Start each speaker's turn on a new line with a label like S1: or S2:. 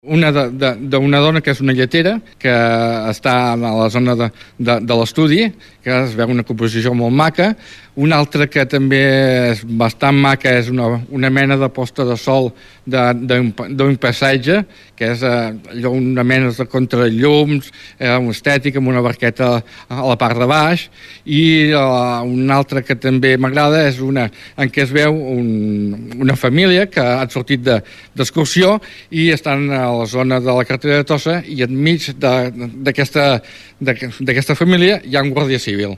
S1: Una d'una dona que és una lletera, que està a la zona de l'estudi, que es veu una composició molt maca. Una altra que també és bastant maca és una mena de posta de sol d'un passatge, que és allò una mena de contrallums, estètic, amb una barqueta a la part de baix. I una altra que també m'agrada és una en què es veu una família que ha sortit d'excursió i estan a la zona de la carretera de Tossa, i enmig d'aquesta família hi ha un guàrdia civil.